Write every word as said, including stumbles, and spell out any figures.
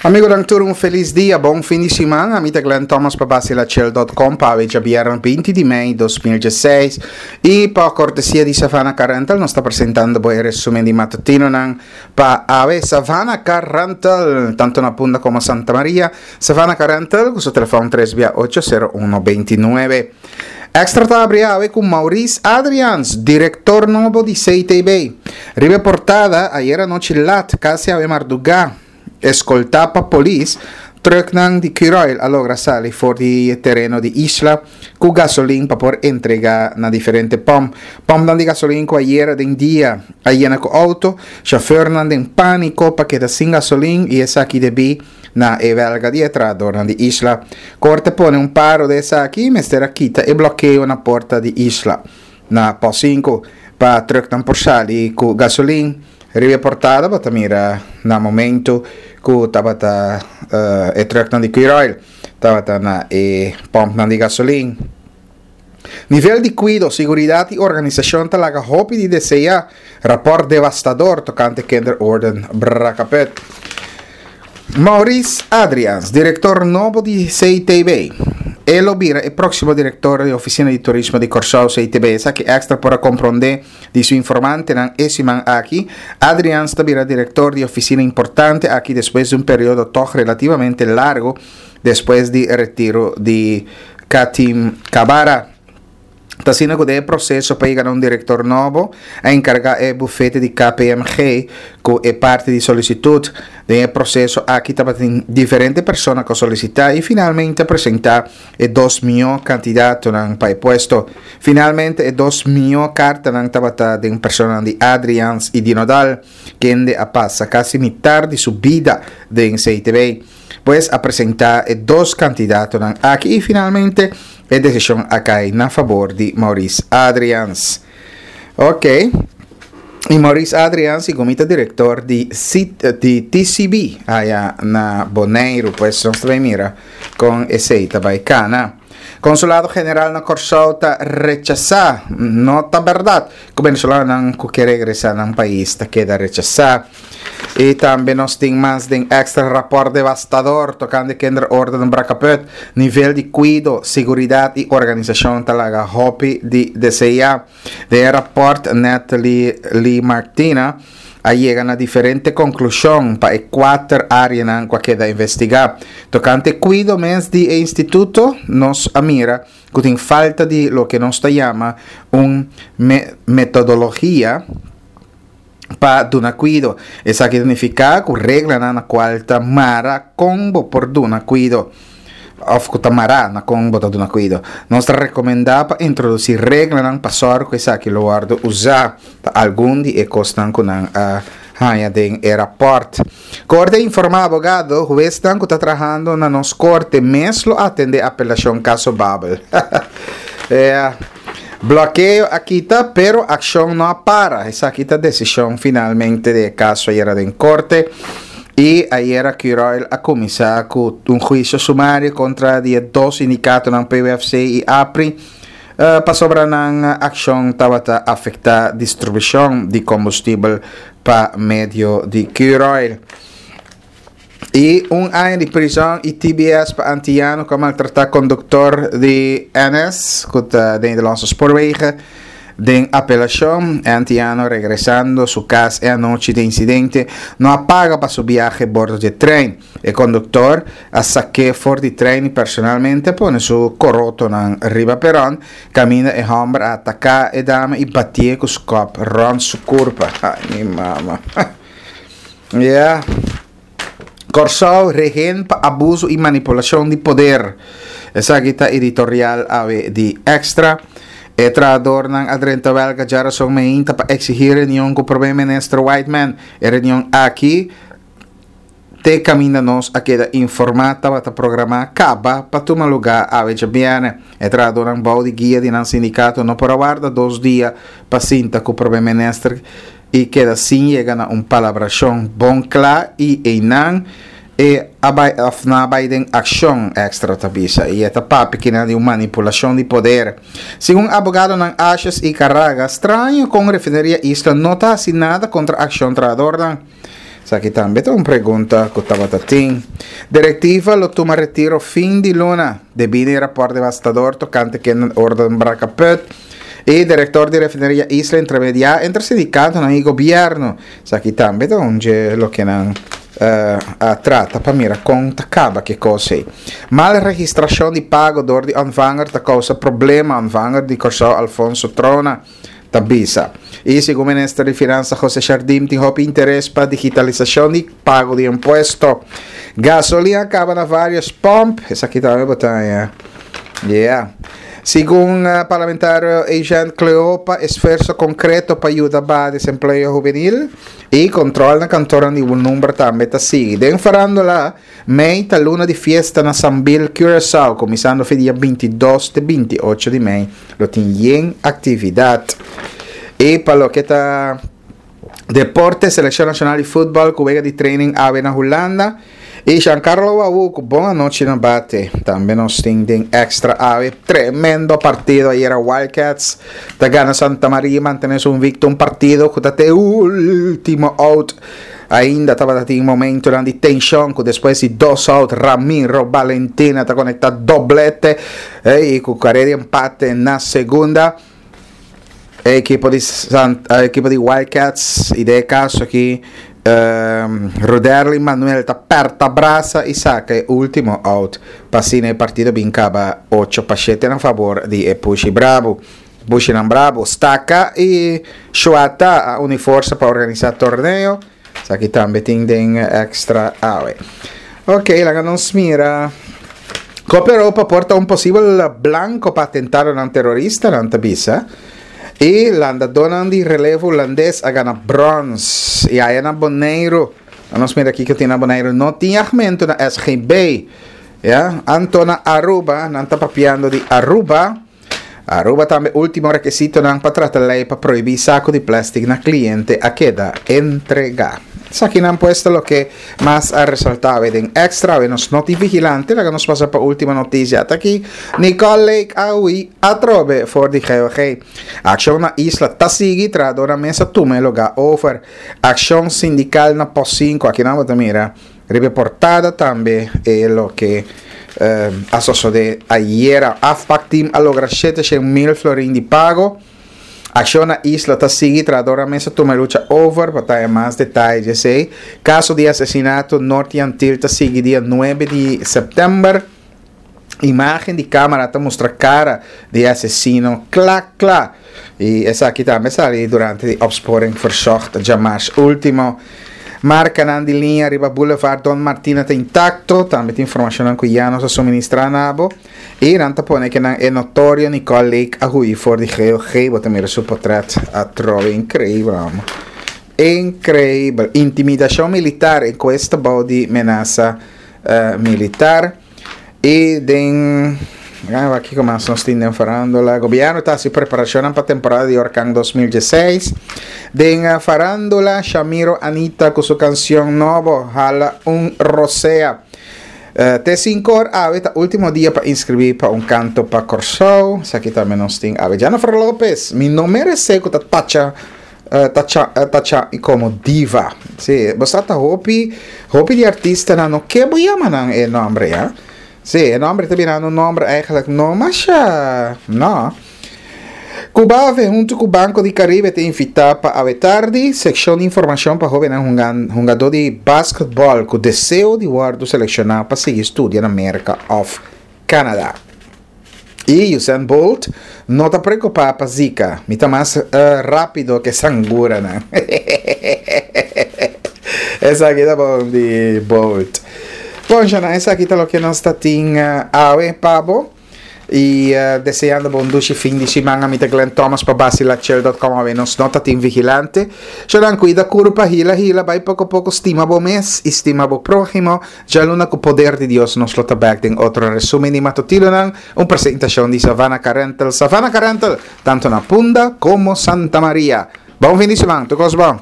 Amigonan tur, un felis dia, bon fin di siman. Ami ta Glenn Thomas pa Basilachel punto com pa djabièrnè binti di mei di dos mil diesseis i pa kortesia di Savannah Car Rental nos ta presentando e resúmen di matutinonan pa awe. Savannah Car Rental, tantu na Punda komo Santa Maria. Savannah Car Rental, ku su telefòn tres ocho sero uno dos nuebe. Extra ta habri awe ku Maurice Adrians, direktor nobo di C T B. Riba portada, ayera nochi lat, kasi awe mardugá, eskoltá pa polis, trucknan di Curoil a logra sali for di tereno di Isla ku gasolin pa por entregá na diferente pòmp. Pòmpnan di gasolin ku ayera den dia a yena ku outo, shofùrnan den pániko pa keda sin gasolin i esaki debí na e welga di trahadónan di Isla. Korte a pone un paro di esaki, mester a kita e blokeo na porta di Isla na pos sinku pa trucknan por sali ku gasolin. Riba portada bo ta mira na momento ku tabata uh, e trucknan di Curoil tabata na e pòmpnan di gasolin. Nivel di kuido, seguridat i organisashon ta laga hopi di deseá. Rapòrt devastador tokante kinderorden Brakkeput. Maurice Adrians, direktor nobo di C T B. E lo bira e próksimo direktor di Ofisina di Turismo di Kòrsou, C T B. Esaki Extra por a komprondé di su informantenan e siman aki. Adrians ta bira direktor di ofisina importante aki despues di un periodo toch relativamente largu despues di retiro di Katim Kabara. Ta asina ku e proseso pa yega un direktor nobo, a enkargá e bufete di K P M G ku e parti di solisitut. Den e proseso aki tabatin diferente persona ku a solisitá i finalmente a presentá e dos mihó kandidatonan pa e puesto. Finalmente e dos mihó kartanan tabata den persona di Adrians i di Nodal, kende a pasa kasi mitar di su bida den C T B. Pues a presentá e dos kandidatonan aki i finalmente e desishon a kai na fabor di Maurice Adrians. Ok. I Maurice Adrians, segun ta direktor di, C, di T C B, aya na Boneiru, pues nos ta mira kon esei ta bai kana. Konsulado General na Kòrsou ta rechasá, no ta berdat ku venezolanonan ku ke regresá nan pais ta keda rechasá. I tambe nos tin mas den Extra, rapòrt devastador tokante kinderorden Brakkeput, nivel di kuido, seguridat i organisashon ta laga hopi di deseá. Den rapòrt Natalie Lee Martina a yega na diferente konklushon pa e kuater áreanan ku a keda investigá. Tokante kuido mes di instituto, nos a mira ku tin falta di loke nos ta yama un me metodologia pa duna kuido. Esaki ta nifiká ku reglanan na kual ta mara kon bo por duna kuido. Òf ku ta mara na kon bo ta duna kuido. Nos ta rekomendá pa introdusí reglanan pa sòru ku esaki lo wòrdu usá pa algun di e kosnan ku nan a haña den e rapòrt. Korte a informá abogado, huesnan ku ta trahando na nos korte mes lo atendé apelashon kaso Babel. Yeah. Blokeo a kita, pero akshon no a para. Esaki ta desishon finalmente di kaso ayera den korte. I ayera Curoil a kuminsá ku un huisio sumario kontra di dos sindikatonan, P W F C i APRI, uh, pasobra nan akshon tabata afektá distribushon di kombustibel pa medio di Curoil. I un aña di prizòn i T B S pa antiano ku a maltratá konduktor di N S, ku ta di Nederlandse Spoorwegen. Den apelashon, antiano regresando su kas e anochi di insidente no a paga pa su biahe bordo di trein. E konduktor a sak'é for di trein i personalmente a pone su korotonan riba peron, kaminda e hòmber a ataká e dama i batié ku skòp rònt su kurpa. Ai, mi mama. Yeah. Kòrsou rehen pa abuso i manipulashon di poder. Esaki ta editorial awe di Extra. E trahadónan a drenta welga djarason mainta pa eksigí reunion ku promé minister Whiteman. E reunion aki, te kaminda nos a keda informá, tabata programá kaba pa tuma lugá awe djabièrnè. E trahadónan bou di guia di nan sindikato no por a warda dos dia pa sinta ku promé minister i keda sin yega na un palabrashon bon kla i einan e a bai òf nan a bai den akshon, Extra ta bisa, i e ta papia ku di un manipulashon di poder. Segun abogadonan Ashes i Carraga, straño ku refineria Isla no ta hasi nada kontra akshon trahadónan. Esaki tambe ta un pregunta ku tabata tin. Direktiva lo tuma retiro fin di luna debí na rapòrt devastador tokante kinderorde Brakkeput. E direktor di refineria Isla intermediá entre sindikato i gobièrnu. Esaki tambe ta un loke nan uh, a trata pa mira kon ta kaba ku kos. Mal registrashon di pago dor di ontvanger ta kousa problema. Ontvanger di Kòrsou Alfonso Trona ta bisa. I segun minister di Finansa José Jardim tin hopi interes pa digitalisashon di pago di impuesto. Gasolina a kaba na vários pòmp. Esaki tambe bo ta, yeah. Segun uh, parlamentario Agent Cleopa, esfuerso konkreto pa yuda e desempleo hubenil i kontròl na kantor di un number tambe ta sigui. Den farándula, mei ta luna di fiesta na Sambil, Curaçao, kuminsando dia bintidos te bintiocho di mei, lo tin yen aktividat. I pa loke ta deporte, selekshon nashonal di futbòl, ku wega di training awe na Hulanda. I Giancarlo Wawu, bon anochi na bate. Tambe nos tin den Extra awe. Tremendo partido ayera. Wildcats ta gana Santa Maria, mantené su invicto, un partido ku te último out. Ainda tabata tin momento di tenshon ku despues di dos out Ramiro Valentina ta konektá doblete i ku karera di empate na segunda. Ekipo di Sant, ekipo di Wildcats i den kaso aki um, Roderly Manuel ta aperta brasa i saka e último out pa asina e partido bin kaba ocho pa shete na fabor di Pushi Bravo. Pushi Bravo, Staka i Shuata a uni forsa pa organisá torneo. Aki tambe tin den Extra awe. Ok, laga nos mira. Cooperopa por ta un posibel blanko pa atentado terorista nan ta bisa. I landadónan di relevo hulandes a gana bròns. I ei na Boneiru. Nos mira aki ku tin na Boneiru. No tin oumento na S G B. Ja? Anto na Aruba, nan ta papiando di Aruba. Aruba tambe último rekisitonan pa trata lei pa prohibí saku di plèstik na kliente a keda entregá. Aki nan pues ta loke mas a resaltá den Extra, nos no tin Vigilante, laga nos pasa pa Último Notisia. Ta aki Nicole Lake a hui atrobe for di G O G. Akshon na Isla ta sigui, trahadónan mes a tuma lugá over. Akshon sindikal na Pos sinku, aki nan bo mira. Riba portada tambe e loke uh, a sosodé ayera. AFPAC team a logra shete mil florin di pago. Akshon na Isla ta sigui, trahadónan mes a tuma lucha over, pa tin mas detaye esei. Kaso di asesinato Norte Antil ta sigui dia nuebe di sèptèmber. Imágen di kámara ta mustra kara di asesino kla kla. I esaki tambe a sali durante di Opsporing Verzocht djamars último. Markanan di liña riba Boulevard Don Martina ta intakto, tambe tin informashon ku ya nos a suministrá na bo. I nan ta pone ku e notorio Nicole Lake a hui for di G O G, bo ta mira su portrèt atrobe, inkreibel, amo. Inkreibel. Intimidashon militar, enkuesta bou di menasa uh, militar. I den aki komo nos tin farándula. Gobièrnu ta hasi preparashon pa temporada di orkan dos mil diesseis. Den farándula, Shamiro Anita ku su kansion nobo, Hala un Rosea. Uh, Te sinku or awe ta último dia pa inskribí pa Un Kanto pa Kòrsou. Esaki tambe nos tin awe. Jennifer Lopez, mi no meresé ku ta tacha uh, tacha uh, tacha komo diva. Sí, bo ta hopi hopi di artistanan no ke bo yama nan e nòmber, ja? Sí, e nòmber ta birando un nòmber eigenlijk no mas no. Cubave huntu ku Banco di Caribe ta invitá pa awe tardi seshon di informashon pa hóben hungadó di basketbòl ku deseo di wòrdu selekshoná pa sigui studia na Amérika òf Canada. I Usain Bolt no ta preokupá pa Zika, mi ta mas uh, rápido ku sangura, ne? Esaki ta bon di Bolt. Bon, Jana, esaki ta loke nos tin uh, awe pa bo. I uh, deseando bon dushi fin di siman. Ami ta Glenn Thomas pa basilachel punto com. Awe nos no tin Vigilante. Shonan, kuida kurpa, hila hila, bai poko poko, stima bo mes, stima bo próhimo. Djaluna, ku poder di Dios, nos lo ta back den otro resúmen di matutinonan, un presentashon di Savannah Car Rental. Savannah Car Rental, tantu na Punda komo Santa Maria. Bon fin di siman, tur kos bon.